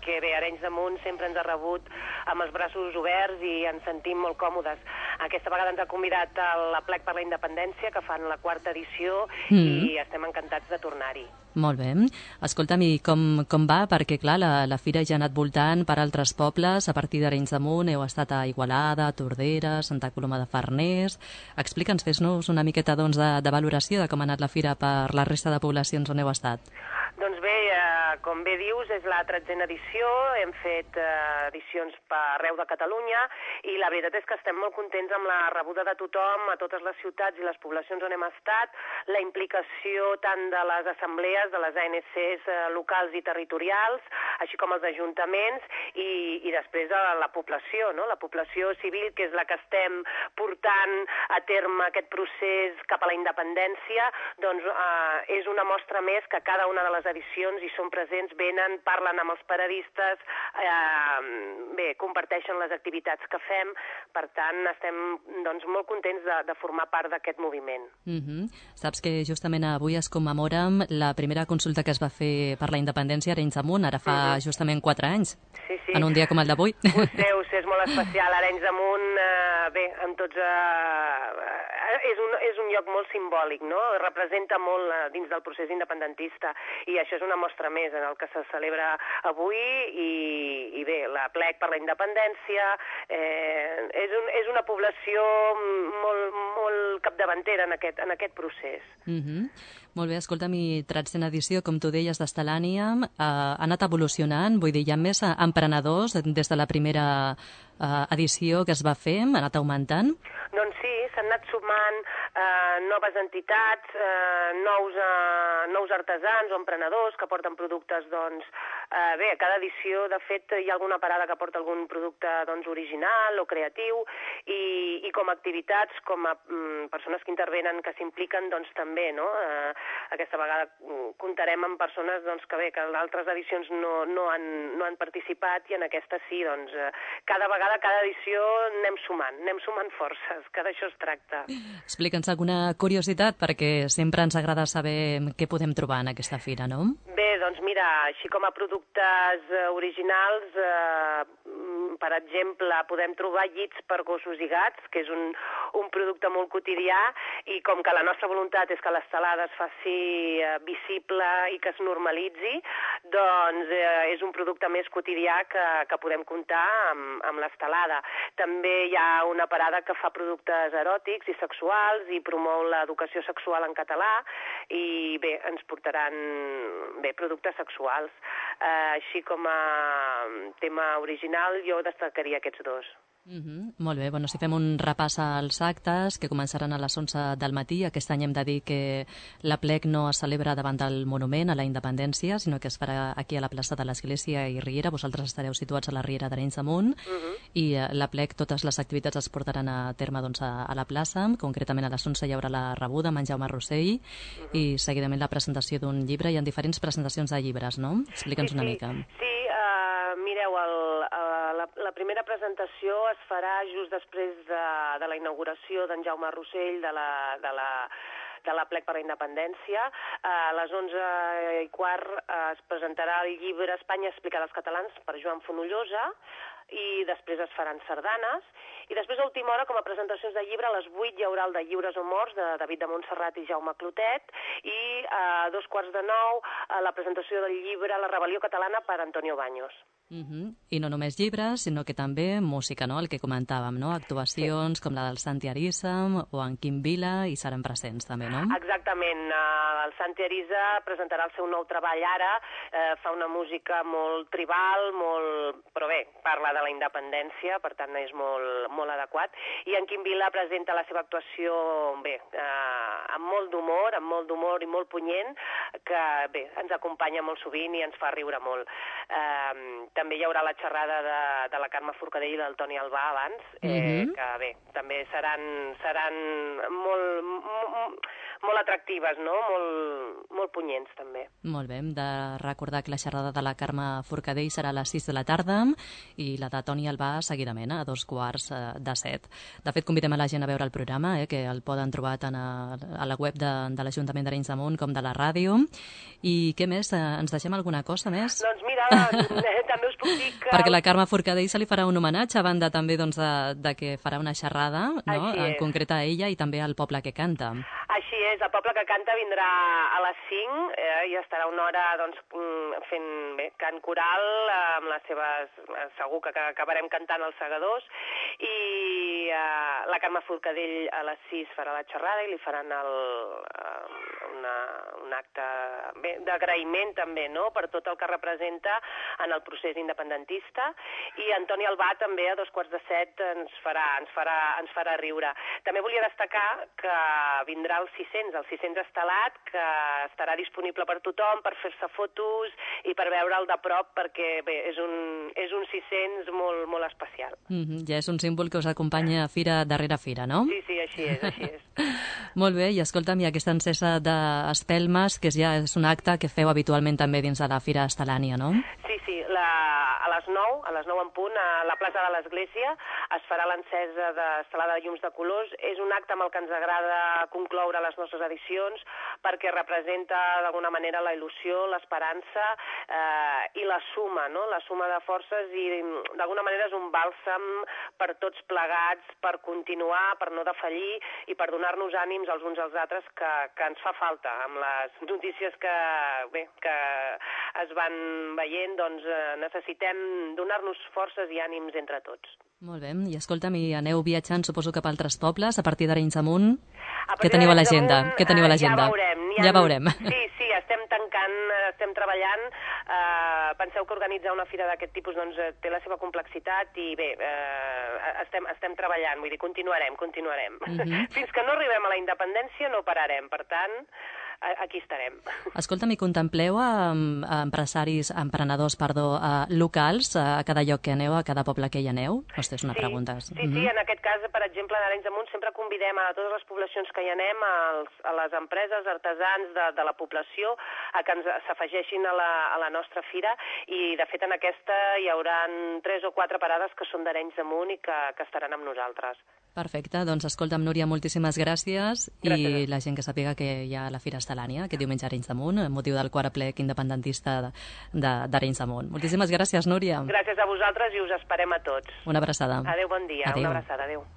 perquè bé, Arenys de Munt sempre ens ha rebut amb els braços oberts i ens sentim molt còmodes. Aquesta vegada ens ha convidat a l'Aplec per la Independència, que fan la 4ª edició, i estem encantats de tornar-hi. Molt bé. Escolta'm, i com va? Perquè, clar, la fira ja ha anat voltant per altres pobles, a partir d'Arenys de Munt, heu estat a Igualada, a Tordera, Santa Coloma de Farners... Explica'ns, fes-nos una miqueta doncs, de valoració de com ha anat la fira per la resta de poblacions on heu estat. Doncs bé, com bé dius, és la 13a edició, hem fet edicions per arreu de Catalunya i la veritat és que estem molt contents amb la rebuda de tothom a totes les ciutats i les poblacions on hem estat, la implicació tant de les assemblees, de les ANCs locals i territorials, així com els ajuntaments i després de la població, no? La població civil, que és la que estem portant a terme aquest procés cap a la independència, doncs és una mostra més que cada una de les edicions hi són presents, venen, parlen amb els paradistes, bé, comparteixen les activitats que fem, per tant estem doncs, molt contents de formar part d'aquest moviment. Saps que justament avui es commemora la primera consulta que es va fer per la independència a Arenys de Munt, ara fa justament 4 anys, sí. En un dia com el d'avui. Ho sé, és molt especial. Arenys de Munt, bé, amb tots... és un lloc molt simbòlic, no? Representa molt dins del procés independentista i això és una mostra més en el que se celebra avui i bé, l'Aplec per la Independència és una població molt capdavantera en aquest procés. Molt bé, escolta'm, i 13a edició, com tu deies, d'Estelània, ha anat evolucionant, vull dir, hi ha més emprenedors des de la primera edició que es va fer, ha anat augmentant? Doncs sí, s'han anat sumant noves entitats, nous artesans o emprenedors que porten productes, doncs, bé, a cada edició, de fet, hi ha alguna parada que porta algun producte, doncs, original o creatiu i com a activitats, com a persones que intervenen, que s'impliquen, doncs, també, no? Aquesta vegada comptarem amb persones, doncs, que bé, que en altres edicions no han participat i en aquesta sí, doncs, cada vegada, cada edició anem sumant forces, que d'això es tracta. Explica'ns alguna curiositat, perquè sempre ens agrada saber què podem trobar en aquesta fira, no? Bé, doncs mira, així com a productes originals, per exemple, podem trobar llits per gossos i gats, que és un producte molt quotidià, i com que la nostra voluntat és que l'estelada es faci visible i que es normalitzi, doncs és un producte més quotidià que podem comptar amb l'estelada. També hi ha una parada que fa productes eròtics i sexuals i promou l'educació sexual en català i bé, ens portaran productes sexuals. Així com a tema original jo destacaria aquests dos. Molt bé, bueno, si fem un repàs als actes que començaran a les 11 del matí, aquest any hem de dir que l'Aplec no es celebra davant del monument a la independència, sinó que es farà aquí a la plaça de l'Església i Riera. Vosaltres estareu situats a la Riera d'Arenys de Munt i l'Aplec, totes les activitats es portaran a terme doncs, a la plaça. Concretament a les 11 hi haurà la rebuda amb en Jaume Rossell i seguidament la presentació d'un llibre. Hi ha diferents presentacions de llibres, no? Explica'ns una mica. Sí, mireu, la primera presentació es farà just després de la inauguració d'en Jaume Rossell de l'Aplec per la Independència. A les 11:15 es presentarà el llibre Espanya explicada als catalans per Joan Fonollosa i després es faran sardanes. I després, a última hora, com a presentacions de llibre, a les 8 hi haurà el de Lliures o Morts, de David de Montserrat i Jaume Clotet, i a 8:45 la presentació del llibre La rebel·lió catalana per Antonio Baños. I no només llibres, sinó que també música, no? El que comentàvem, no? Actuacions com la del Santi Arísam o en Quim Vila hi seran presents també, no? Exactament. El Santi Arisa presentarà el seu nou treball ara, fa una música molt tribal, però bé, parla de la independència, per tant és molt adequat, i en Quim Vila presenta la seva actuació bé, amb molt d'humor i molt punyent, que bé, ens acompanya molt sovint i ens fa riure molt. També hi haurà la xerrada de la Carme Forcadell i del Toni Albà abans, que bé, també seran molt atractives, no? Molt punyents, també. Molt bé, hem de recordar que la xerrada de la Carme Forcadell serà a les 6 de la tarda i la de Toni Albà seguidament, a 6:15. De fet, convidem a la gent a veure el programa, que el poden trobar tant a la web de l'Ajuntament d'Arenys de Munt com de la ràdio. I què més? Ens deixem alguna cosa més? Doncs mira, també us puc dir que... Perquè la Carme Forcadell se li farà un homenatge a banda també de que farà una xerrada, no? En concret a ella i també al poble que canta. Així és, el poble que canta vindrà a les 5 i estarà una hora doncs, fent cant coral amb les seves... Segur que acabarem cantant els segadors i la Carme Forcadell a les 6 farà la xerrada i li faran un acte d'agraïment també, no?, per tot el que representa en el procés independentista, i Antoni Albà també a 6:15 ens farà riure. També volia destacar que vindrà el 600 estelat, que estarà disponible per tothom, per fer-se fotos i per veure'l de prop, perquè bé, és un 600 molt, molt especial. Ja és un símbol que us acompanya fira darrere fira, no? Sí, així és. Molt bé, i escolta'm, i aquesta encesa d'espelmes, que ja és un acte que feu habitualment també dins de la Fira Estelània, no? Sí, a les 9 en punt, a la plaça de l'Església, es farà l'encesa d'estelada de llums de colors. És un acte amb el que ens agrada concloure les nostres edicions, perquè representa d'alguna manera la il·lusió, l'esperança i la suma, no?, la suma de forces, i d'alguna manera és un bàlsam per tots plegats, per continuar, per no defallir i per donar-nos ànims els uns als altres, que ens fa falta. Amb les notícies que es van veient, doncs necessitem donar-nos forces i ànims entre tots. Molt bé, i escolta'm, i aneu viatjant, suposo, cap a altres pobles, a partir d'Arenys de Munt. Què teniu a l'agenda? Ja veurem. Sí, estem tancant, estem treballant. Penseu que organitzar una fira d'aquest tipus doncs, té la seva complexitat i bé, estem treballant, vull dir, continuarem. Fins que no arribem a la independència no pararem, per tant, aquí estarem. Escolta'm, i contempleu emprenedors locals a cada lloc que aneu, a cada poble que hi aneu? Hosti, és una pregunta. Sí, en aquest cas, per exemple, en Arenys de Munt sempre convidem a totes les poblacions que hi anem, a les empreses, artesans de la població, a que s'afegeixin a la nostra fira, i de fet en aquesta hi haurà 3 o 4 parades que són d'Arenys de Munt i que estaran amb nosaltres. Perfecte, doncs escolta'm, Núria, moltíssimes gràcies. I la gent que sàpiga que hi ha la Fira Estelània aquest diumenge a Arenys de Munt, amb motiu del 4è plec independentista d'Arenys de Munt. Moltíssimes gràcies, Núria. Gràcies a vosaltres i us esperem a tots. Una abraçada. Adéu, bon dia. Adéu. Una abraçada, adéu.